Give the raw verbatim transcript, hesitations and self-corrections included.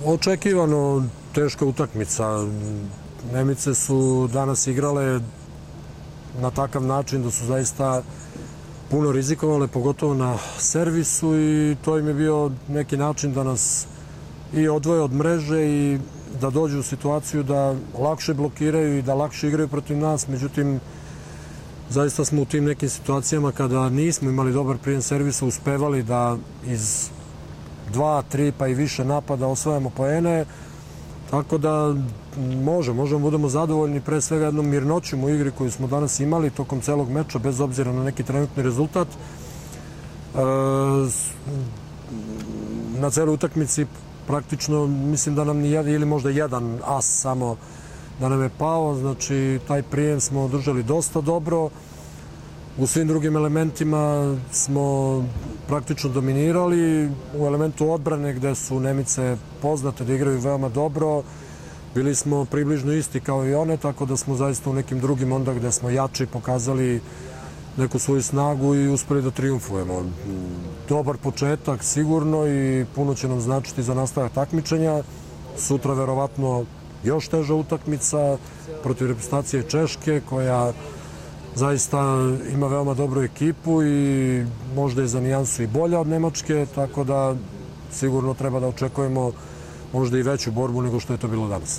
Očekivano teška utakmica. Nemice su danas igrale na takav način da su zaista puno rizikovale, pogotovo na servisu, i to im je bio neki način da nas i odvoje od mreže i da dođu u situaciju da lakše blokiraju i da lakše igraju protiv nas. Međutim, zaista smo u tim nekim situacijama kada nismo imali dobar prijem servisa uspevali da iz dva, tri pa i više napada osvajamo poene, tako da može, možemo budemo zadovoljni pre svega jednom mirnoćom u igri koju smo danas imali tokom celog meča, bez obzira na neki trenutni rezultat. Na celoj utakmici praktično mislim da nam ni jedan ili možda jedan as samo da nam je pao, znači taj prijem smo održali dosta dobro. U svim drugim elementima smo praktično dominirali. U elementu odbrane, gde su Nemice poznate da igraju veoma dobro, bili smo približno isti kao i one, tako da smo zaista u nekim drugim onda gde smo jači pokazali neku svoju snagu i uspeli da trijumfujemo. Dobar početak sigurno i puno će nam značiti za nastavak takmičenja. Sutra verovatno još teža utakmica protiv reprezentacije Češke, koja zaista ima veoma dobru ekipu i možda je za nijansu i bolja od Nemačke, tako da sigurno treba da očekujemo možda i veću borbu nego što je to bilo danas.